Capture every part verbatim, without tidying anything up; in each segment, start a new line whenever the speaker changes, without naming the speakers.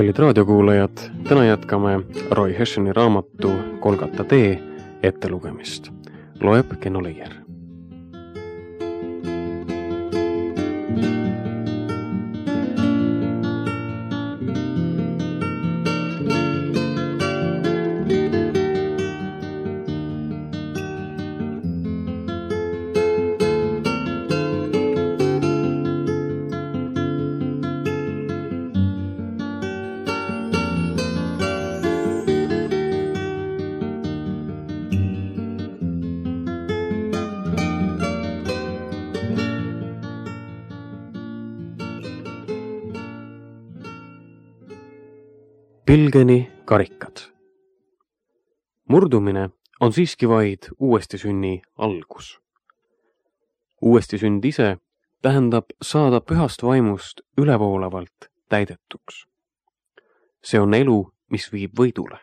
Kallid raadiokuulajad, täna jätkame Roy Hessions raamatu Golgata tee ettelugemist. Loeb Kenno Leier. Pilgeni karikad. Murdumine on siiski vaid uuestisünni algus. Uuestisünd ise tähendab saada pühast vaimust ülevoolavalt täidetuks. See on elu, mis viib võidule.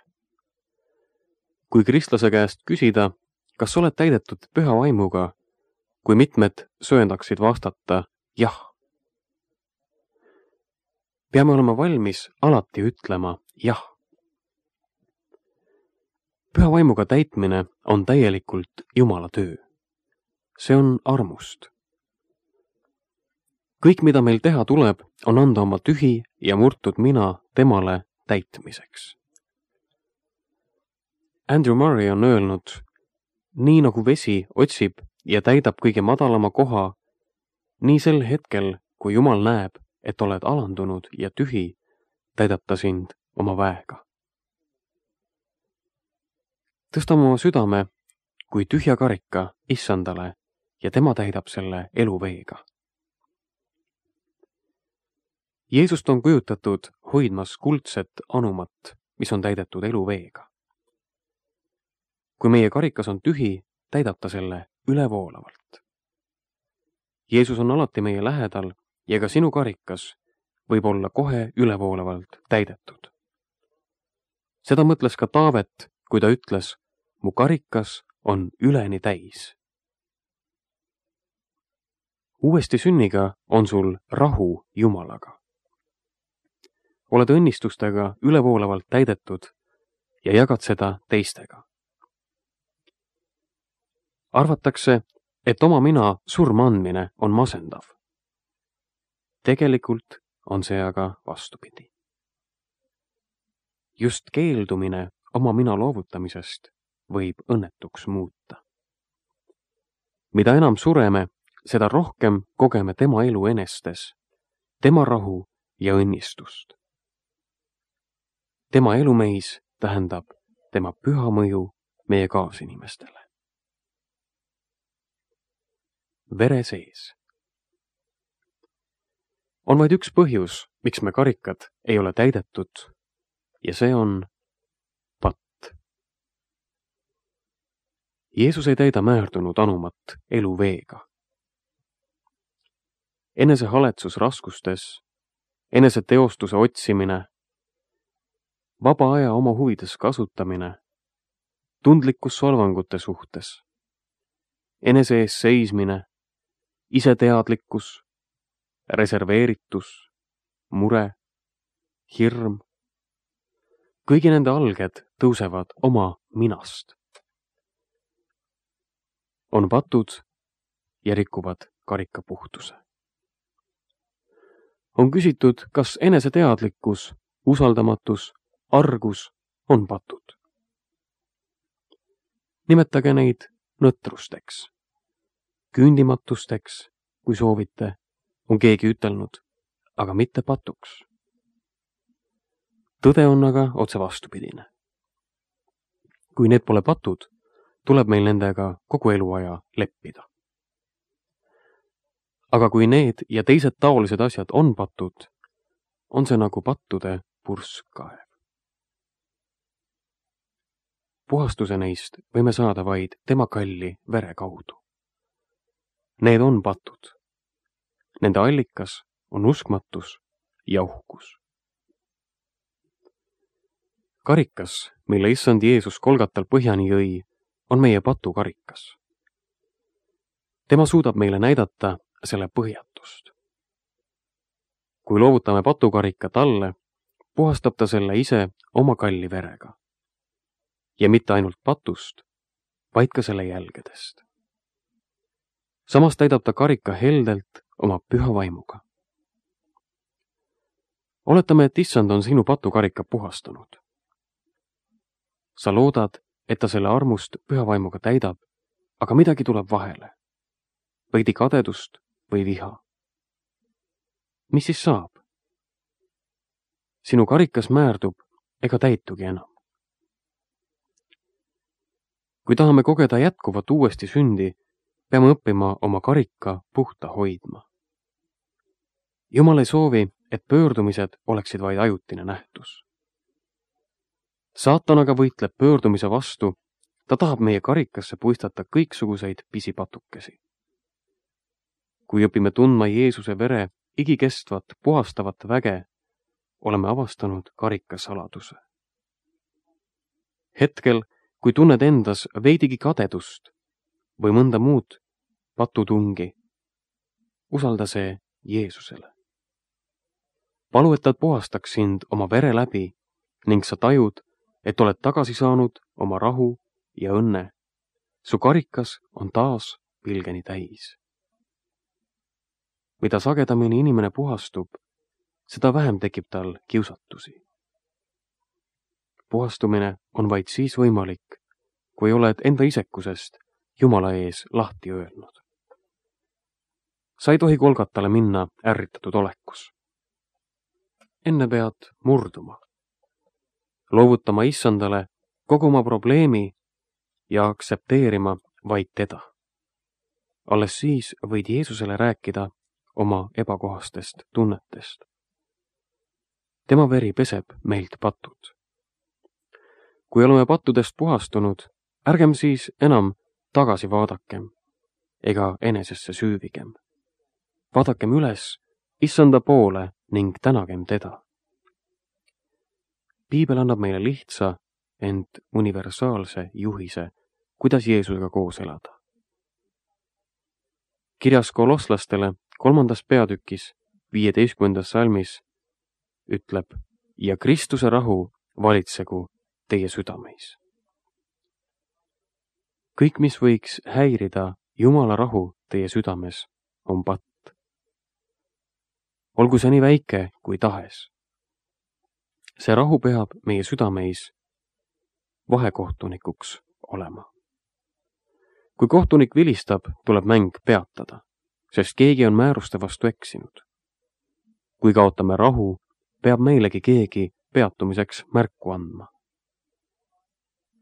Kui kristlase käest küsida, kas oled täidetud püha vaimuga, kui mitmed sööndaksid vastata jah. Peame olema valmis alati ütlema jah. Püha vaimuga täitmine on täielikult Jumala töö. See on armust. Kõik, mida meil teha tuleb, on anda oma tühi ja murtud mina temale täitmiseks. Andrew Murray on öelnud, nii nagu vesi otsib ja täidab kõige madalama koha, nii sel hetkel, kui Jumal näeb, et oled alandunud ja tühi, täidab ta sind oma väega. Tõstame oma südame kui tühja karika issandale ja tema täidab selle eluveega. Jeesust on kujutatud hoidmas kuldset anumat, mis on täidetud eluveega. Kui meie karikas on tühi, täidab ta selle ülevoolavalt. Jeesus on alati meie lähedal ja ka sinu karikas võib olla kohe ülevoolavalt täidetud. Seda mõtles ka Taavet, kui ta ütles, mu karikas on üleni täis. Uuesti sünniga on sul rahu Jumalaga. Oled õnnistustega ülevoolavalt täidetud ja jagad seda teistega. Arvatakse, et oma mina surma andmine on masendav. Tegelikult on see aga vastupidi. Just keeldumine oma mina loovutamisest võib õnnetuks muuta. Mida enam sureme, seda rohkem kogeme tema elu enestes, tema rahu ja õnnistust. Tema elumeis tähendab tema püha mõju meie kaasinimestele. Vere sees. On vaid üks põhjus, miks me karikad ei ole täidetud, ja see on patt. Jeesus ei täida määrdunud anumat eluveega. Enese haletsus raskustes, enese teostuse otsimine, vaba aja oma huvides kasutamine, tundlikkus solvangute suhtes, enese ees seismine, iseteadlikkus, reserveeritus, mure, hirm. Kõigi nende alged tõusevad oma minast. On patud ja rikuvad karika puhtuse. On küsitud, kas eneseteadlikkus, usaldamatus, argus on patud. Nimetage neid nõtrusteks, küündimatusteks, kui soovite, on keegi ütelnud, aga mitte patuks. Tõde on aga otse vastupidine. Kui need pole patud, tuleb meil nendega kogu eluaja leppida. Aga kui need ja teised taolised asjad on patud, on see nagu pattude purskkaev. Puhastuse neist võime saada vaid tema kalli vere kaudu. Need on patud. Nende allikas on uskmatus ja uhkus. Karikas, mille issand Jeesus Golgatal põhjani jõi, on meie patukarikas. Tema suudab meile näidata selle põhjatust. Kui loovutame patukarika talle, puhastab ta selle ise oma kalli verega. Ja mitte ainult patust, vaid ka selle jälgedest. Samas täidab ta karika heldelt oma püha vaimuga. Oletame, et issand on sinu patukarika puhastanud. Sa loodad, et ta selle armust püha vaimuga täidab, aga midagi tuleb vahele. Veidi kadedust või viha. Mis siis saab? Sinu karikas määrdub ega täitugi enam. Kui tahame kogeda jätkuvat uuesti sündi, peame õppima oma karika puhta hoidma. Jumal ei soovi, et pöördumised oleksid vaid ajutine nähtus. Saatan aga võitleb pöördumise vastu, ta tahab meie karikasse puistata kõiksuguseid pisipatukesi. Kui õpime tundma Jeesuse vere igikestvat puhastavat väge, oleme avastanud karika saladuse. Hetkel, kui tunned endas veidigi kadedust või mõnda muud patutungi, usalda see Jeesusele. Palu, et ta puhastaks sind oma vere läbi ning sa tajud, et oled tagasi saanud oma rahu ja õnne. Su karikas on taas pilgeni täis. Mida sagedamini inimene puhastub, seda vähem tekib tal kiusatusi. Puhastumine on vaid siis võimalik, kui oled enda isekusest Jumala ees lahti öelnud. Sa ei tohi Golgatale minna ärritatud olekus. Enne pead murduma, loovutama issandale kogu oma probleemi ja aktsepteerima vaid teda. Alles siis võid Jeesusele rääkida oma ebakohastest tunnetest. Tema veri peseb meilt patud. Kui oleme pattudest puhastunud, ärgem siis enam tagasi vaadakem ega enesesse süüvigem. Vaadakem üles issanda poole ning tänagem teda. Piibel annab meile lihtsa, ent universaalse juhise, kuidas Jeesusega koos elada. Kirjas kolosslastele kolmandas peatükis viieteistkümnendas salmis ütleb: ja Kristuse rahu valitsegu teie südameis. Kõik, mis võiks häirida Jumala rahu teie südames, on patt. Olgu see nii väike kui tahes. See rahu peab meie südameis vahekohtunikuks olema. Kui kohtunik vilistab, tuleb mäng peatada, sest keegi on määruste vastu eksinud. Kui kaotame rahu, peab meilegi keegi peatumiseks märku andma.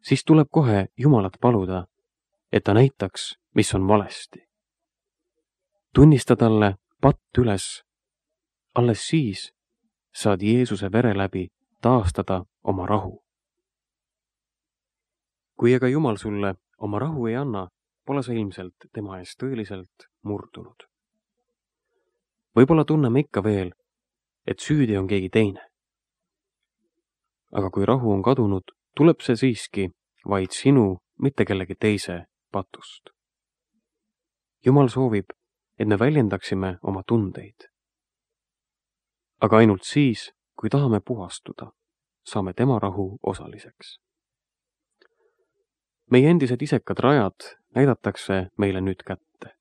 Siis tuleb kohe Jumalat paluda, et ta näitaks, mis on valesti. Tunnista talle patt üles. Alles siis saad Jeesuse vere läbi taastada oma rahu. Kui aga Jumal sulle oma rahu ei anna, pole sa ilmselt tema ees tõeliselt murdunud. Võib-olla tunneme ikka veel, et süüdi on keegi teine. Aga kui rahu on kadunud, tuleb see siiski vaid sinu, mitte kellegi teise patust. Jumal soovib, et me väljendaksime oma tundeid. Aga ainult siis, kui tahame puhastuda, saame tema rahu osaliseks. Meie endised isekad rajad näidatakse meile nüüd kätte.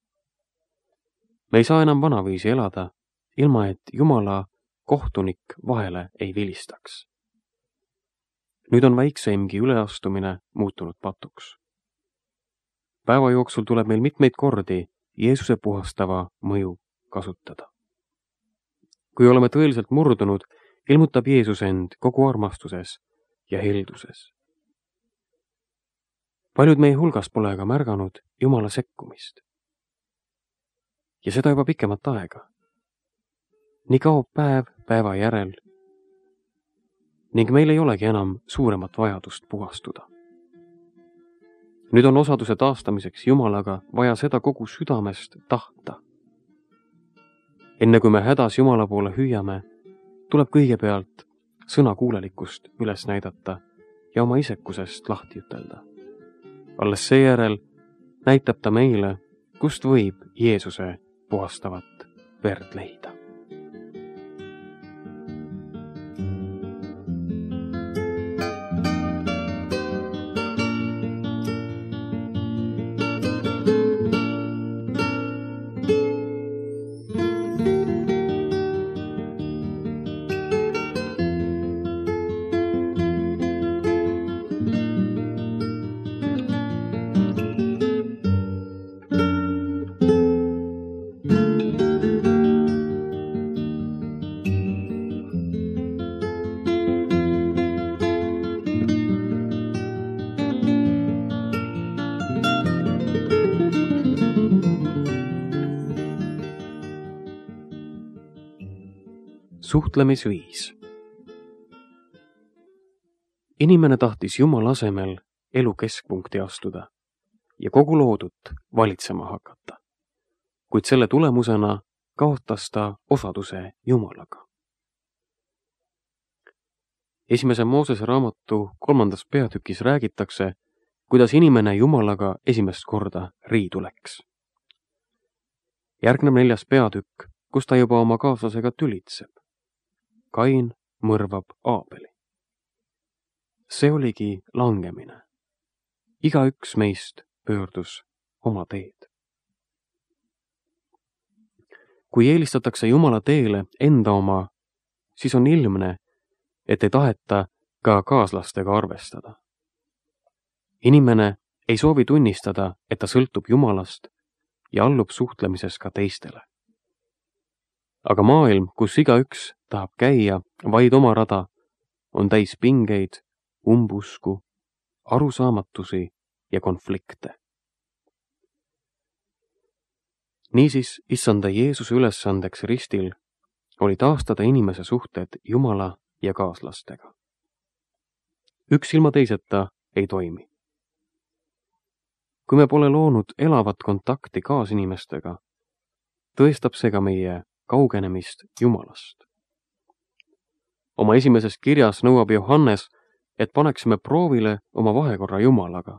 Me ei saa enam vanaviisi elada, ilma et Jumala kohtunik vahele ei vilistaks. Nüüd on väikseimgi üleastumine muutunud patuks. Päeva jooksul tuleb meil mitmeid kordi Jeesuse puhastava mõju kasutada. Kui oleme tõeliselt murdunud, ilmutab Jeesus end kogu armastuses ja helduses. Paljud meie hulgas pole aga märganud Jumala sekkumist. Ja seda juba pikemat aega. Nii kaob päev päeva järel ning meil ei olegi enam suuremat vajadust puhastuda. Nüüd on osaduse taastamiseks Jumalaga vaja seda kogu südamest tahta. Enne kui me hädas Jumala poole hüüame, tuleb kõigepealt sõnakuulelikkust üles näidata ja oma isekusest lahti ütelda. Alles seejärel näitab ta meile, kust võib Jeesuse puhastavat verd leida. suhtlemisviis. Inimene tahtis Jumala asemel elu keskpunkti astuda ja kogu loodut valitsema hakata, kuid selle tulemusena kaotas ta osaduse Jumalaga. Esimese Moosese raamatu kolmandas peatükis räägitakse, kuidas inimene Jumalaga esimest korda riidu läks. Järgneb neljas peatükk, kus ta juba oma kaaslasega tülitseb. Kain mõrvab Aabeli. See oligi langemine. Igaüks meist pöördus oma teed. Kui eelistatakse Jumala teele enda oma, siis on ilmne, et ei taheta ka kaaslastega arvestada. Inimene ei soovi tunnistada, et ta sõltub Jumalast ja allub suhtlemises ka teistele. Aga maailm, kus igaüks tahab käia vaid oma rada, on täis pingeid, umbusku, arusaamatusi ja konflikte. Niisiis, issanda Jeesuse ülesandeks ristil oli taastada inimese suhted Jumala ja kaaslastega. Üks ilma teiseta ei toimi. Kui me pole loonud elavat kontakti kaasinimestega, tõestab see ka meie kaugenemist Jumalast. Oma esimeses kirjas nõuab Johannes, et paneksime proovile oma vahekorra Jumalaga,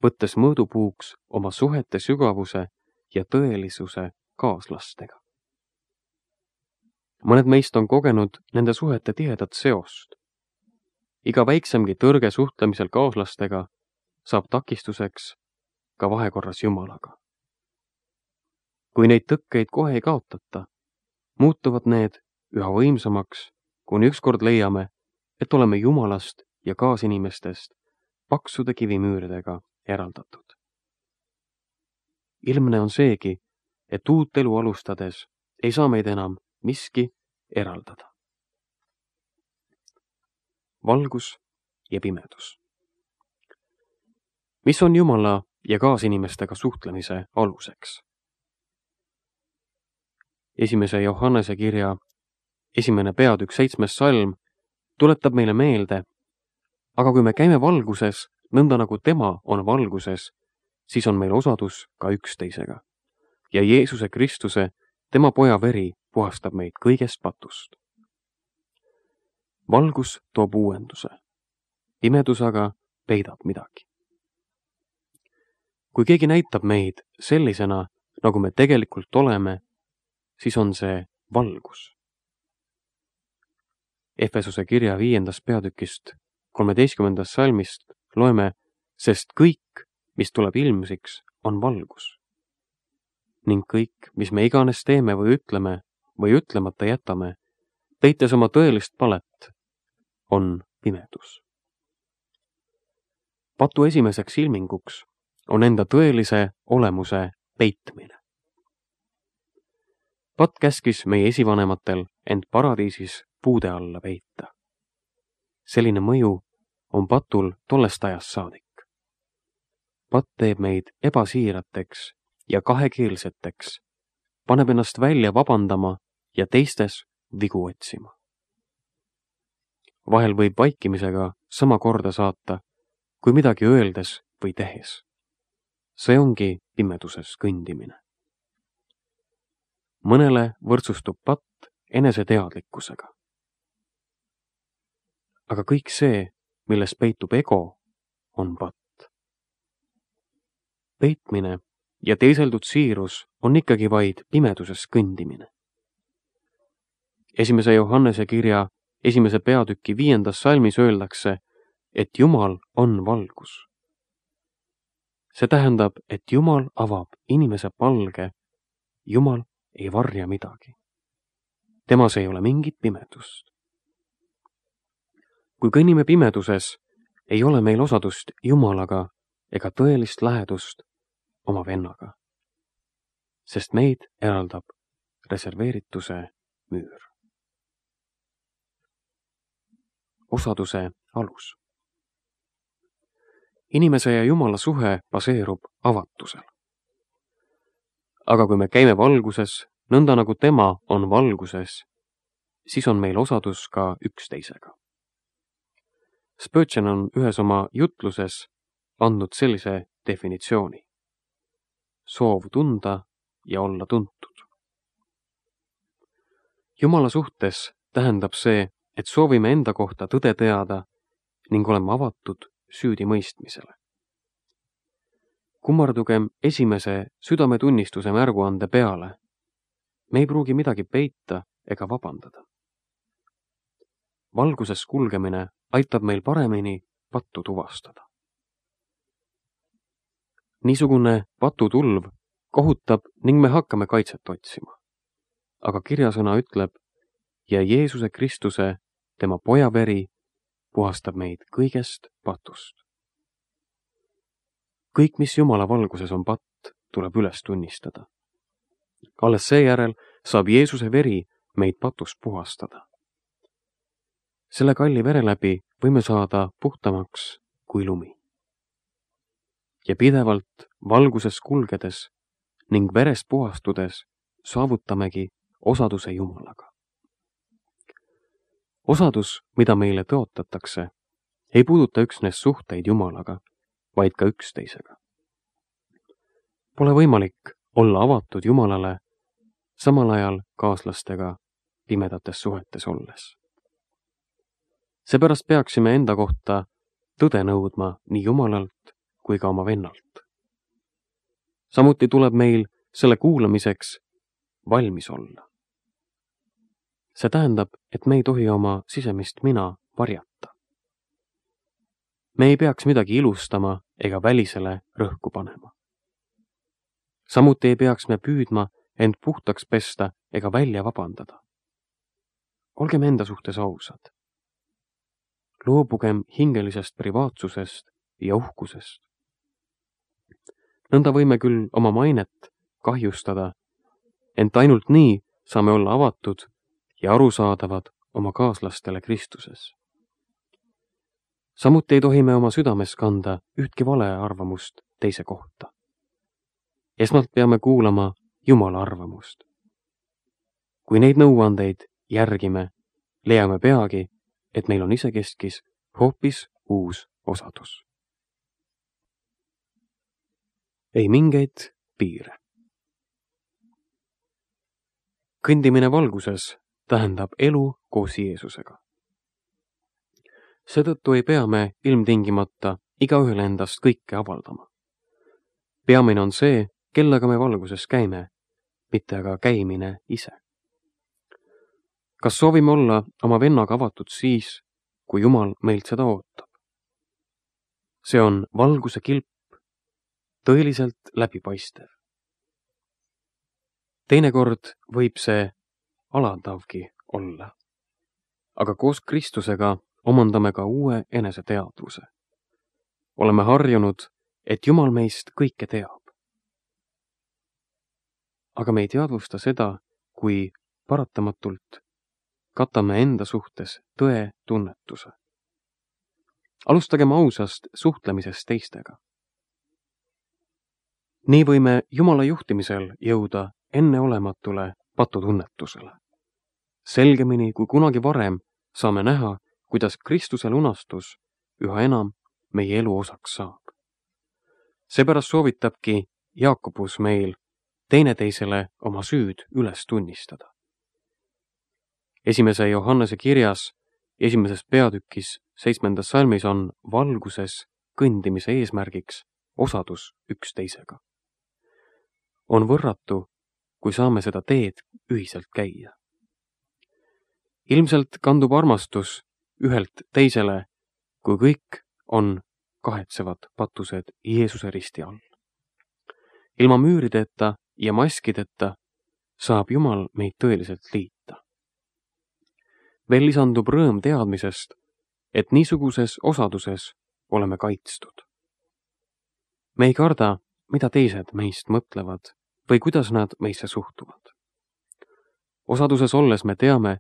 võttes mõõdupuuks oma suhete sügavuse ja tõelisuse kaaslastega. Mõned meist on kogenud nende suhete tihedat seost. Iga väiksemgi tõrge suhtlemisel kaaslastega saab takistuseks ka vahekorras Jumalaga. Kui neid tõkkeid kohe ei kaotata, muutuvad need üha võimsamaks, kuni ükskord leiame, et oleme Jumalast ja kaasinimestest paksude kivimüüridega eraldatud. Ilmne on seegi, et uut elu alustades ei saa meid enam miski eraldada. Valgus ja pimedus. Mis on Jumala ja kaasinimestega suhtlemise aluseks? Esimese Johannese kirja esimene peatükk seitsmes salm tuletab meile meelde, aga kui me käime valguses, nõnda nagu tema on valguses, siis on meil osadus ka üksteisega. Ja Jeesuse Kristuse, tema poja veri, puhastab meid kõigest patust. Valgus toob uuenduse. Pimedus aga peidab midagi. Kui keegi näitab meid sellisena, nagu me tegelikult oleme, siis on see valgus. Efesuse kirja viiendast peatükist kolmeteistkümnendast salmist loeme, sest kõik, mis tuleb ilmsiks, on valgus. Ning kõik, mis me iganes teeme või ütleme või ütlemata jätame, peites oma tõelist palet, on pimedus. Patu esimeseks ilminguks on enda tõelise olemuse peitmine. Pat käskis meie esivanematel end paradiisis puude alla peita. Selline mõju on patul tollest ajast saadik. Pat teeb meid ebasiirateks ja kahekeelseteks, paneb ennast välja vabandama ja teistes vigu otsima. Vahel võib vaikimisega sama korda saata, kui midagi öeldes või tehes. See ongi pimeduses kõndimine. Mõnele võrdsustub patt eneseteadlikkusega. Aga kõik see, milles peitub ego, on patt. Peitmine ja teiseldud siirus on ikkagi vaid pimeduses kõndimine. Esimese Johannese kirja esimese peatüki viiendas salmis öeldakse, et Jumal on valgus. See tähendab, et Jumal avab inimese palge, Jumal ei varja midagi. Temas ei ole mingit pimedust. Kui kõnnime pimeduses, ei ole meil osadust Jumalaga ega tõelist lähedust oma vennaga, sest meid eraldab reserveerituse müür. Osaduse alus. Inimese ja Jumala suhe baseerub avatusel. Aga kui me käime valguses, nõnda nagu tema on valguses, siis on meil osadus ka üksteisega. Spurgeon on ühes oma jutluses andnud sellise definitsiooni. Soov tunda ja olla tuntud. Jumala suhtes tähendab see, et soovime enda kohta tõde teada ning oleme avatud süüdimõistmisele. Kummardugem esimese südametunnistuse märguande peale. Me ei pruugi midagi peita ega vabandada. Valguses kulgemine aitab meil paremini pattu tuvastada. Niisugune patutulv kohutab ning me hakkame kaitset otsima. Aga kirjasõna ütleb, ja Jeesuse Kristuse, tema poja veri, puhastab meid kõigest patust. Kõik, mis Jumala valguses on patt, tuleb üles tunnistada. Alles seejärel saab Jeesuse veri meid patust puhastada. Selle kalli vere läbi võime saada puhtamaks kui lumi. Ja pidevalt valguses kulgedes ning verest puhastudes saavutamegi osaduse Jumalaga. Osadus, mida meile tõotatakse, ei puuduta üksnes suhteid Jumalaga, vaid ka üksteisega. Pole võimalik olla avatud Jumalale, samal ajal kaaslastega pimedates suhetes olles. Seepärast peaksime enda kohta tõde nõudma nii Jumalalt kui ka oma vennalt. Samuti tuleb meil selle kuulamiseks valmis olla. See tähendab, et me ei tohi oma sisemist mina varjata. Me ei peaks midagi ilustama ega välisele rõhku panema. Samuti ei peaks me püüdma end puhtaks pesta ega välja vabandada. Olgem enda suhtes ausad. Loobugem hingelisest privaatsusest ja uhkusest. Nõnda võime küll oma mainet kahjustada, ent ainult nii saame olla avatud ja arusaadavad oma kaaslastele Kristuses. Samuti ei tohi me oma südames kanda ühtki vale arvamust teise kohta. Esmalt peame kuulama Jumala arvamust. Kui neid nõuandeid järgime, leiame peagi, et meil on isekeskis hoopis uus osadus. Ei mingeid piire. Kõndimine valguses tähendab elu koos Jeesusega. Seetõttu ei pea me ilmtingimata igaühele endast kõike avaldama. Peamine on see, kellega me valguses käime, mitte aga käimine ise. Kas soovime olla oma vennaga avatud siis, kui Jumal meilt seda ootab? See on valguse kilp, tõeliselt läbipaistev. Teinekord võib see alandavgi olla, aga koos Kristusega omandame ka uue eneseteadvuse. Oleme harjunud, et Jumal meist kõike teab. Aga me ei teadvusta seda, kui paratamatult katame enda suhtes tõe tunnetuse. Alustagem ausast suhtlemisest teistega. Nii võime Jumala juhtimisel jõuda enneolematule patutunnetusele. Selgemini kui kunagi varem saame näha, kuidas Kristuse lunastus üha enam meie elu osaks saab. Seepärast soovitabki Jaakobus meil teineteisele oma süüd üles tunnistada. Esimese Johannese kirjas, esimeses peatükis, seitsmendas salmis on valguses kõndimise eesmärgiks osadus üksteisega. On võrratu, kui saame seda teed ühiselt käia. Ilmselt kandub armastus ühelt teisele, kui kõik on kahetsevad patused Jeesuse risti all. Ilma müürideta ja maskideta saab Jumal meid tõeliselt liita. Veel lisandub rõõm teadmisest, et niisuguses osaduses oleme kaitstud. Me ei karda, mida teised meist mõtlevad või kuidas nad meisse suhtuvad. Osaduses olles me teame,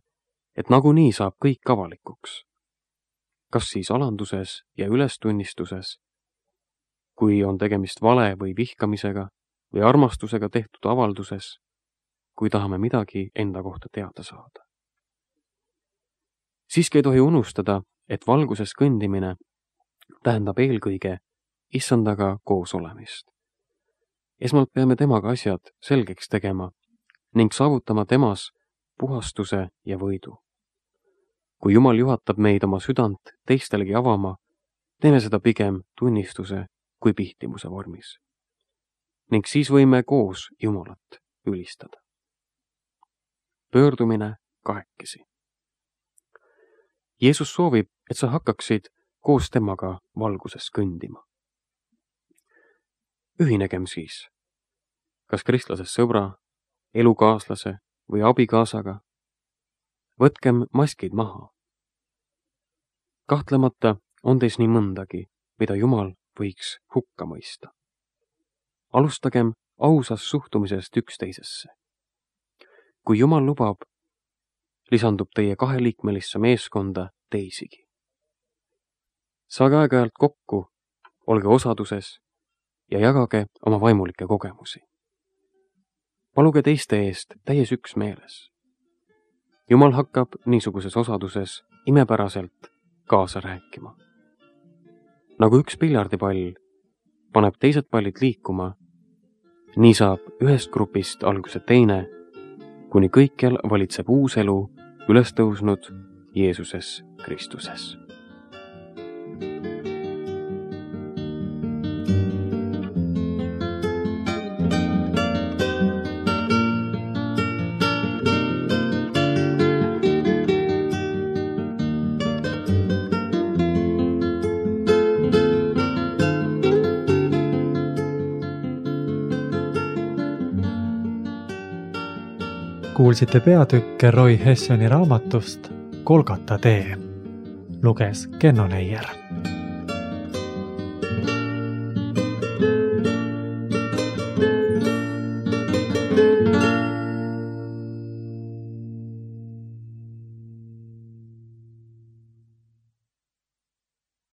et nagunii saab kõik avalikuks. Kas siis alanduses ja ülestunnistuses, kui on tegemist vale või vihkamisega või armastusega tehtud avalduses, kui tahame midagi enda kohta teada saada. siiski ei tohi unustada, et valguses kõndimine tähendab eelkõige issandaga koos olemist. Esmalt peame temaga asjad selgeks tegema ning saavutama temas puhastuse ja võidu. Kui Jumal juhatab meid oma südant teistelegi avama, teeme seda pigem tunnistuse kui pihtimuse vormis. Ning siis võime koos Jumalat ülistada. Pöördumine kahekesi. Jeesus soovib, et sa hakkaksid koos temaga valguses kõndima. Ühinegem siis, kas kristlasest sõbra, elukaaslase või abikaasaga. Võtkem maskid maha. Kahtlemata on teis nii mõndagi, mida Jumal võiks hukka mõista. Alustagem ausast suhtumisest üksteisesse. Kui Jumal lubab, lisandub teie kaheliikmelisse meeskonda teisigi. Saage aeg-ajalt kokku, olge osaduses ja jagage oma vaimulikke kogemusi. Paluge teiste eest täies üksmeeles. Jumal hakkab niisuguses osaduses imepäraselt kaasa rääkima. Nagu üks piljardipall paneb teised pallid liikuma, nii saab ühest grupist alguse teine, kuni kõikjal valitseb uus elu üles tõusnud Jeesuses Kristuses.
Kuulsite peatükke Roy Hessoni raamatust Golgata tee. Luges Kenno Neier.